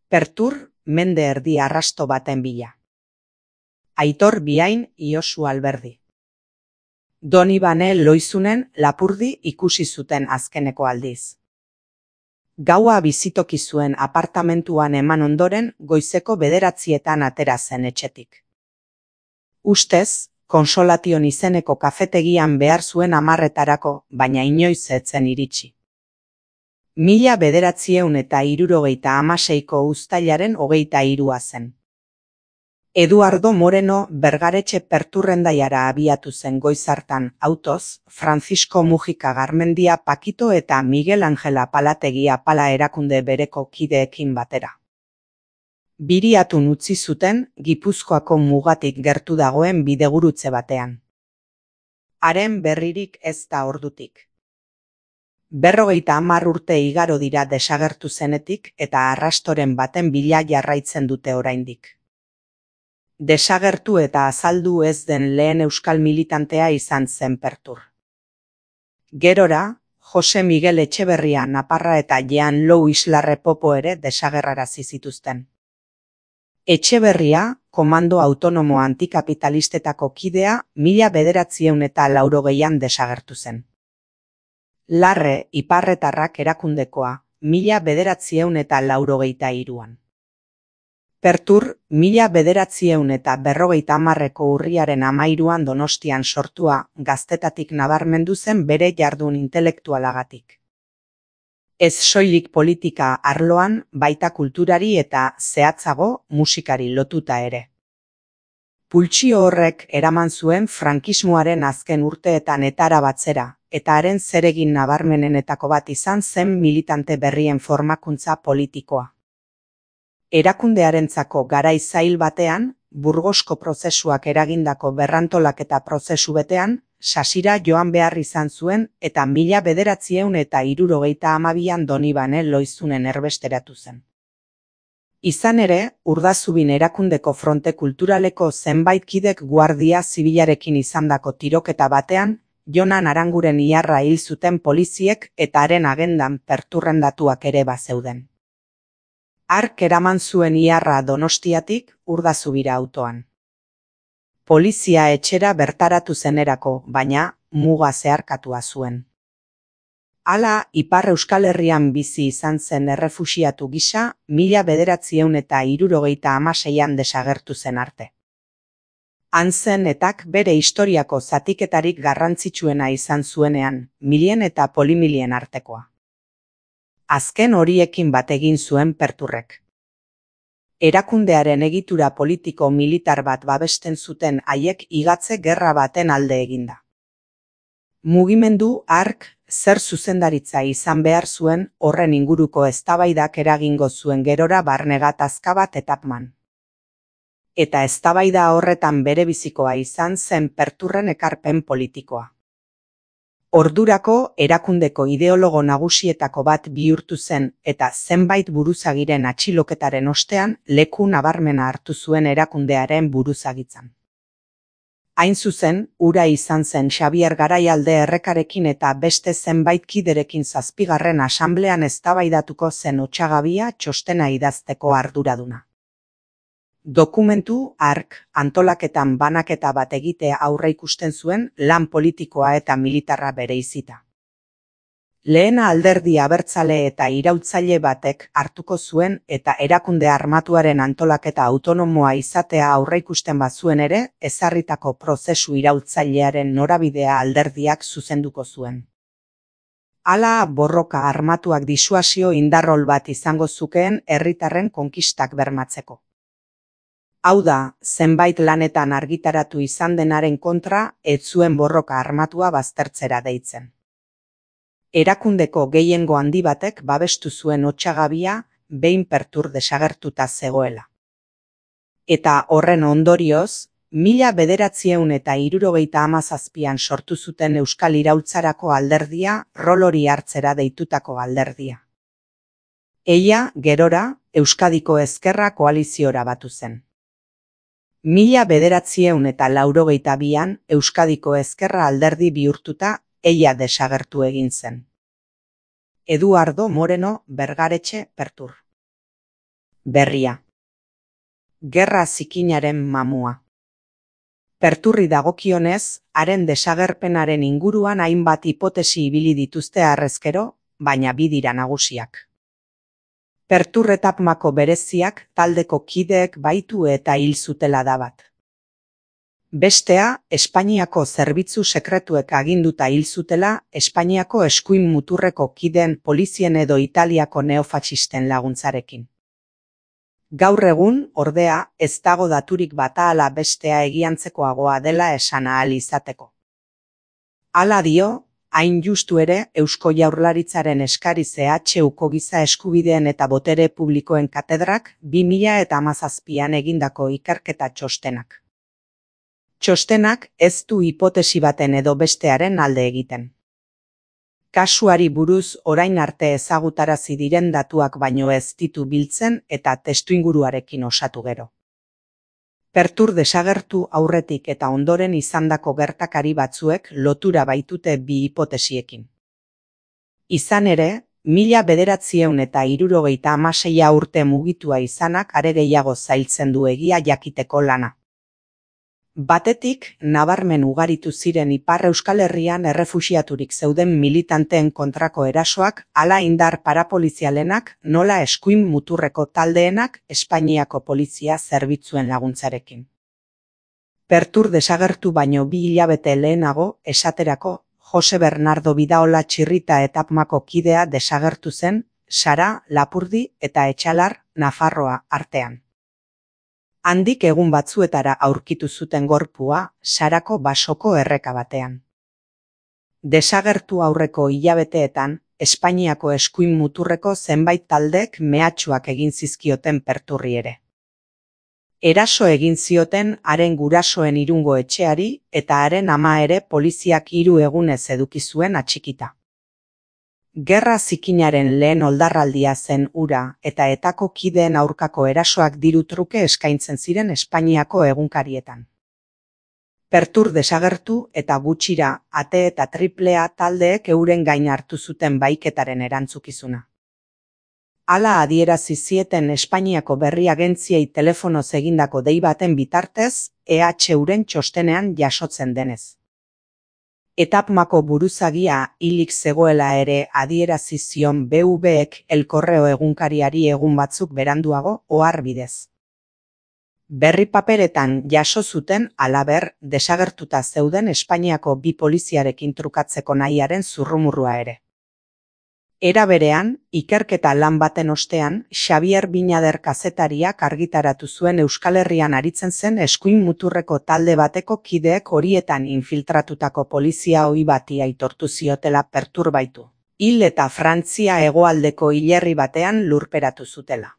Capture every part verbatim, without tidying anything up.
Pertur mende erdi arrasto baten bila. Aitor Biain Iosu Alberdi. Donibane Loizunen Lapurdi ikusi zuten azkeneko aldiz. Gaua bizitoki zuen apartamentuan eman ondoren goizeko bederatzietan atera zen etxetik. Ustez, Konsolation izeneko kafetegian behar zuen hamarretarako, baina inoiz ez zen iritsi. Mila bederatzieun eta hirurogeita hamaseiko uztailaren hogeita hirua zen. Eduardo Moreno Bergaretxe Perturrendaiara abiatu zen goiz hartan autoz, Francisco Mujika Garmendia Pakito eta Miguel Angel Apalategi Apala erakunde bereko kideekin batera. Biriatun utzi zuten Gipuzkoako mugatik gertu dagoen bidegurutze batean. Haren berririk ez da ordutik. Berrogeita hamar urte igaro dira desagertu zenetik eta arrastoren baten bila jarraitzen dute oraindik. Desagertu eta azaldu ez den lehen euskal militantea izan zen Pertur. Gerora, Jose Miguel Etxeberria Naparra eta Jean Lou Islarre Popo ere desagerrarazi zituzten. Etxeberria, komando autonomo antikapitalistetako kidea, mila bederatzieun eta laurogeian desagertu zen. Larre Iparretarrak erakundekoa, mila bederatzieun eta laurogeita hiruan. Pertur, mila bederatzieun eta berrogeita hamarreko urriaren hamairuan Donostian sortua, gaztetatik nabarmendu zen bere jardun intelektualagatik. Ez soilik politika arloan, baita kulturari eta, zehatzago, musikari lotuta ere. Pultsio horrek eraman zuen frankismoaren azken urteetan etara batzera, eta haren zeregin nabarmenenetako bat izan zen militante berrien formakuntza politikoa. Erakundearentzako garai zail batean, Burgosko prozesuak eragindako berrantolaketa prozesu betean, sasira joan behar izan zuen eta mila bederatzieun eta hirurogeita hamabian Donibane Loizunen erbesteratu zen. Izan ere, Urdazubin erakundeko fronte kulturaleko zenbait kidek guardia zibilarekin izandako tiroketa batean, Jonan Aranguren iharra hil zuten poliziek eta haren agendan perturrendatuak ere bazeuden. Hark eraman zuen iharra Donostiatik Urdazubira autoan. Polizia etxera bertaratu zenerako, baina muga zeharkatua zuen. Hala, Ipar Euskal Herrian bizi izan zen errefuxiatu gisa, mila bederatzieun eta hirurogeita hamaseian desagertu zen arte. Han zen etak bere historiako zatiketarik garrantzitsuena izan zuenean, milien eta polimilien artekoa. Azken horiekin bat egin zuen Perturrek. Erakundearen egitura politiko-militar bat babesten zuten haiek igatze gerra baten alde eginda. Mugimendu hark zer zuzendaritza izan behar zuen horren inguruko eztabaidak eragingo zuen gerora barne gatazka bat etapman. Eta eztabaida horretan berebizikoa izan zen Perturren ekarpen politikoa. Ordurako erakundeko ideologo nagusietako bat bihurtu zen eta zenbait buruzagiren atxiloketaren ostean leku nabarmena hartu zuen erakundearen buruzagitzan. Hain zuzen, hura izan zen Xabier Garaialde Errekarekin eta beste zenbait kiderekin zazpigarren asamblean eztabaidatuko zen otsagabia txostena idazteko arduraduna. Dokumentu hark antolaketan banaketa bat egitea aurreikusten zuen lan politikoa eta militarra bereizita. Lehena alderdi abertzale eta iraultzaile batek hartuko zuen eta erakunde armatuaren antolaketa autonomoa izatea aurreikusten bazuen ere, ezarritako prozesu iraultzailearen norabidea alderdiak zuzenduko zuen. Hala, borroka armatuak disuasio indarrol bat izango zukeen herritarren konkistak bermatzeko. Hau da, zenbait lanetan argitaratu izan denaren kontra, ez zuen borroka armatua baztertzera deitzen. Erakundeko gehiengo handi batek babestu zuen otsagabia, behin Pertur desagertuta zegoela. Eta horren ondorioz, mila bederatzieun eta hirurogeita hamazazpian sortu zuten Euskal Iraultzarako alderdia, rolori hartzera deitutako alderdia. Eia, gerora, Euskadiko Ezkerra koaliziora batu zen. Mila bederatzieun eta laurogeita bian Euskadiko Ezkerra alderdi bihurtuta eia desagertu egin zen. Eduardo Moreno Bergaretxe Pertur. Berria. Gerra zikinaren mamua. Perturri dagokionez, haren desagerpenaren inguruan hainbat hipotesi ibili dituzte harrezkero, baina bi dira nagusiak. Pertur etapmako bereziak taldeko kideek baitu eta hil zutela da bat. Bestea, Espainiako zerbitzu sekretuek aginduta hil zutela Espainiako eskuin muturreko kideen polizien edo Italiako neofatxisten laguntzarekin. Gaur egun, ordea, ez dago daturik bata ala bestea egiantzekoagoa dela esan ahal izateko. Hala dio, hain justu ere, Eusko Jaurlaritzaren eskari C H Uko giza eskubideen eta botere publikoen katedrak bi mila hamazazpian egindako ikerketa txostenak. Txostenak ez du hipotesi baten edo bestearen alde egiten. Kasuari buruz orain arte ezagutarazi diren datuak baino ez ditu biltzen eta testuinguruarekin osatu gero. Pertur desagertu aurretik eta ondoren izandako gertakari batzuek lotura baitute bi hipotesiekin. Izan ere, mila bederatziehun eta hirurogeita hamaseia urte mugitua izanak are gehiago zailtzen du egia jakiteko lana. Batetik, nabarmen ugaritu ziren Ipar Euskal Herrian errefuxiaturik zeuden militanteen kontrako erasoak, hala indar parapolizialenak, nola eskuin muturreko taldeenak Espainiako polizia zerbitzuen laguntzarekin. Pertur desagertu baino bi hilabete lehenago, esaterako, Jose Bernardo Bidaola Txirrita etapmako kidea desagertu zen, Sara, Lapurdi eta Etxalar, Nafarroa artean. Handik egun batzuetara aurkitu zuten gorpua, Sarako basoko erreka batean. Desagertu aurreko hilabeteetan, Espainiako eskuin muturreko zenbait taldek mehatxuak egin zizkioten Perturri ere. Eraso egin zioten haren gurasoen Irungo etxeari eta haren ama ere poliziak hiru egunez eduki zuen atxikita. Gerra zikinaren lehen oldarraldia zen hura eta etako kideen aurkako erasoak diru truke eskaintzen ziren Espainiako egunkarietan. Pertur desagertu eta gutxira ate eta triplea taldeek euren gain hartu zuten baiketaren erantzukizuna. Hala adierazi zieten Espainiako berri agentziei telefonoz egindako dei baten bitartez, E H Uren txostenean jasotzen denez. Etapmako buruzagia hilik zegoela ere adierazi zion B V-ek El Correo egunkariari egun batzuk beranduago ohar bidez. Berri paperetan jaso zuten halaber desagertuta zeuden Espainiako bi poliziarekin trukatzeko nahiaren zurrumurrua ere. Era berean, ikerketa lan baten ostean, Xabier Binader kazetariak argitaratu zuen Euskal Herrian aritzen zen eskuin muturreko talde bateko kideek horietan infiltratutako polizia ohi bati aitortu ziotela perturbaitu. Hil eta Frantzia hegoaldeko hilerri batean lurperatu zutela.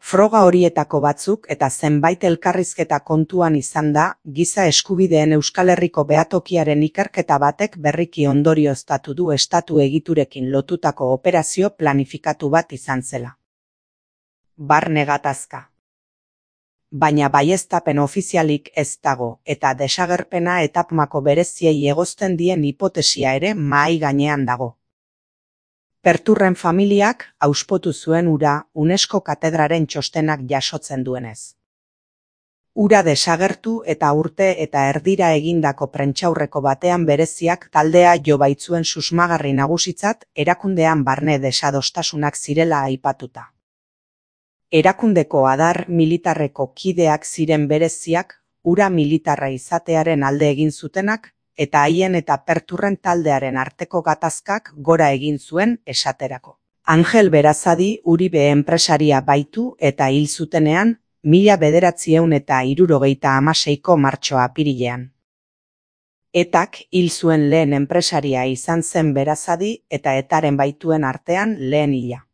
Froga horietako batzuk eta zenbait elkarrizketa kontuan izan da, giza eskubideen Euskal Herriko behatokiaren ikerketa batek berriki ondorioztatu du estatu egiturekin lotutako operazio planifikatu bat izan zela. Barne gatazka. Baina baieztapen ofizialik ez dago eta desagerpena etapmako bereziei egozten dien hipotesia ere mahai gainean dago. Perturren familiak auspotu zuen hura UNESCO katedraren txostenak jasotzen duenez. Hura desagertu eta urte eta erdira egindako prentsaurreko batean bereziak taldea jo baitzuen susmagarri nagusitzat erakundean barne desadostasunak zirela aipatuta. Erakundeko adar militarreko kideak ziren bereziak, hura militarra izatearen alde egin zutenak, eta haien eta Perturren taldearen arteko gatazkak gora egin zuen esaterako. Angel Berazadi Uribe enpresaria baitu eta hil zutenean, mila bederatziehun eta hirurogeita hamaseiko martxoa apirilean. Etak hil zuen lehen enpresaria izan zen Berazadi eta etaren baituen artean lehen hila.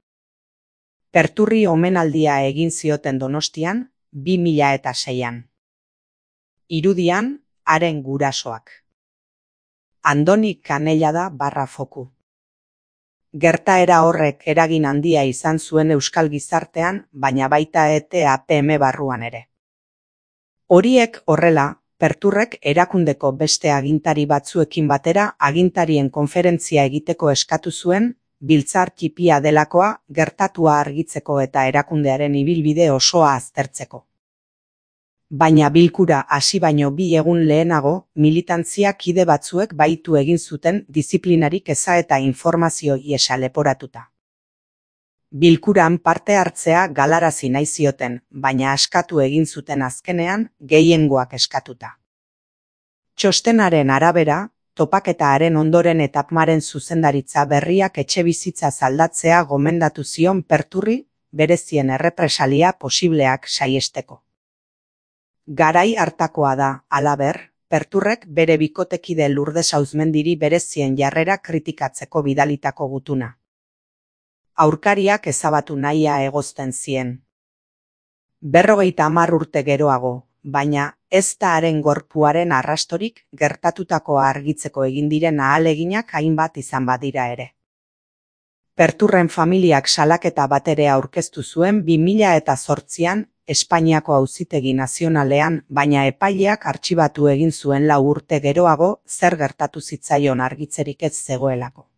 Perturri omenaldia egin zioten Donostian, bi mila eta seian. Irudian, haren gurasoak. Andoni Kanellada barra foku. Gertaera horrek eragin handia izan zuen euskal gizartean, baina baita E T A P M barruan ere. Horiek horrela, Perturrek erakundeko beste agintari batzuekin batera agintarien konferentzia egiteko eskatu zuen, biltzar txipia delakoa, gertatua argitzeko eta erakundearen ibilbide osoa aztertzeko. Baina bilkura hasi baino bi egun lehenago, militantzia kide batzuek baitu egin zuten diziplinarik eza eta informazio iesa leporatuta. Bilkuran parte hartzea galarazi nahi zioten, baina askatu egin zuten azkenean, gehiengoak eskatuta. Txostenaren arabera, topaketaren ondoren etapmaren zuzendaritza berriak etxebizitza aldatzea gomendatu zion Perturri, berezien errepresalia posibleak saihesteko. Garai hartakoa da, halaber, Perturrek bere bikotekide Lurdes Auzmendiri berezien jarrera kritikatzeko bidalitako gutuna. Aurkariak ezabatu nahia egozten zien. Berrogeita hamar urte geroago, baina ez da haren gorpuaren arrastorik gertatutakoa argitzeko egin diren ahaleginak hainbat izan badira ere. Perturren familiak salaketa bat ere aurkeztu zuen bi mila zortzian Espainiako Auzitegi Nazionalean, baina epaileak artxibatu egin zuen lau urte geroago zer gertatu zitzaion argitzerik ez zegoelako.